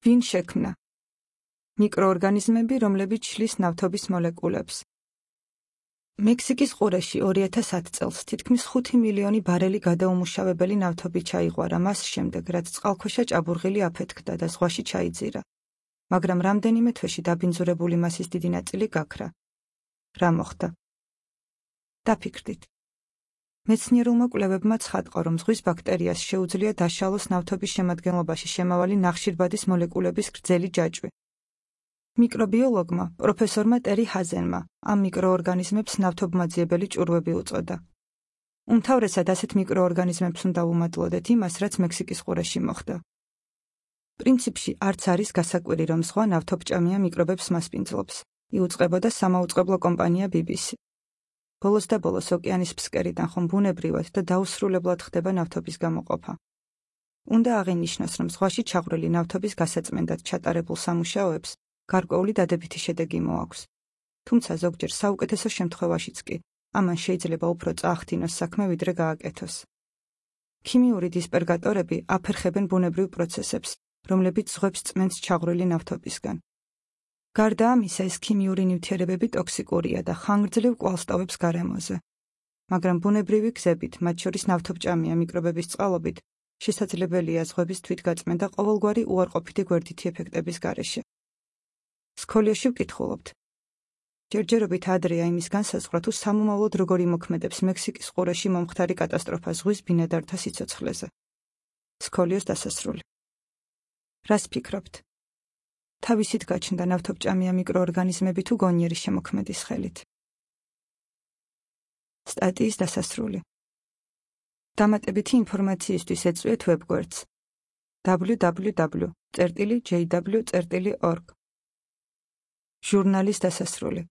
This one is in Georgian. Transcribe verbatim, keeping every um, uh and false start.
ვინ შექმნა? მიკროორგანიზმები, რომლებიც შლის ნავთობის მოლეკულებს. მექსიკის ყურეში ორი ათას ათ წელს თითქმის ხუთი მილიონი ბარელი გადაუმუშავებელი ნავთობი ჩაიღვარა მას შემდეგ, რაც წყალქვეშა ჭაბურღილი აფეთქდა და ზღვაში ჩაიძირა. მაგრამ რამდენიმე თვეში დაბინძურებული მასის დიდი ნაწილი გაქრა. რა მოხდა? დაფიქრდით. მეცნიერულმა კვლევებმა ცხადყო, რომ ზღვის ბაქტერიას შეუძლია დაშალოს ნავთობის შემადგენლობაში შემავალი ნახშირბადის მოლეკულების გრძელი ჯაჭვი. მიკრობიოლოგმა, პროფესორმა ტერი ჰაზენმა, ამ მიკროორგანიზმებს ნავთობმაძიებელი ჭურვები უწოდა. უმთავრესად ასეთ მიკროორგანიზმებს უნდა ვუმადლოდეთ იმას, რაც მექსიკის ყურეში მოხდა. პრინციპში არც არის გასაკვირი, რომ ზღვა ნავთობჭამია მიკრობებს მასპინძლობს. იუწყებოდა სამაუწყებლო კომპანია ბი ბი სი. ბოლოს და ბოლოს ოკეანის ფსკერიდან ხომ ბუნებრივად და დაუსრულებლად ხდება ნავთობის გამოყოფა. უნდა აღინიშნოს, რომ ზღვაში ჩაღვრილი ნავთობის გასაწმენდად ჩატარებულ სამუშაოებს გარკვეული დადებითი შედეგი მოაქვს. თუმცა ზოგჯერ საუკეთესო შემთხვევაშიც კი ამან შეიძლება უფრო წაახდინოს საქმე, ვიდრე გააკეთოს. ქიმიური დისპერგატორები აფერხებენ ბუნებრივ პროცესებს, რომლებიც ზღვებს წმენს ჩაღვრილი ნავთობისგან. გარდა ამისა, ეს ქიმიური ნივთიერებები ტოქსიკურია და ხანგრძლივ კვალს ტოვებს გარემოზე. მაგრამ ბუნებრივი გზებით, მათ შორის ნავთობჭამია მიკრობების წყალობით, შესაძლებელია ზღვების თვითგაწმენდა ყოველგვარი უარყოფითი გვერდითი ეფექტების გარეშე. სქოლიაში ვკითხულობთ. ჯერჯერობით ადრეა იმის განსაზღვრა, თუ სამომავლოდ როგორ იმოქმედებს მექსიკის ყურეში მომხდარი კატასტროფა ზღვის ბინადართა სიცოცხლეზე. სქოლიოს დასასრული. რას ფიქრობთ? თავისით გაჩნდა ნავთობჭამია მიკროორგანიზმები თუ გონიერი შემოქმედის ხელით? სტატიის დასასრული. დამატებითი ინფორმაციისთვის ეწვიეთ ვებგვერდს დაბლიუ დაბლიუ დაბლიუ წერტილი ჯეი დაბლიუ წერტილი ორგ. ჟურნალის დასასრული.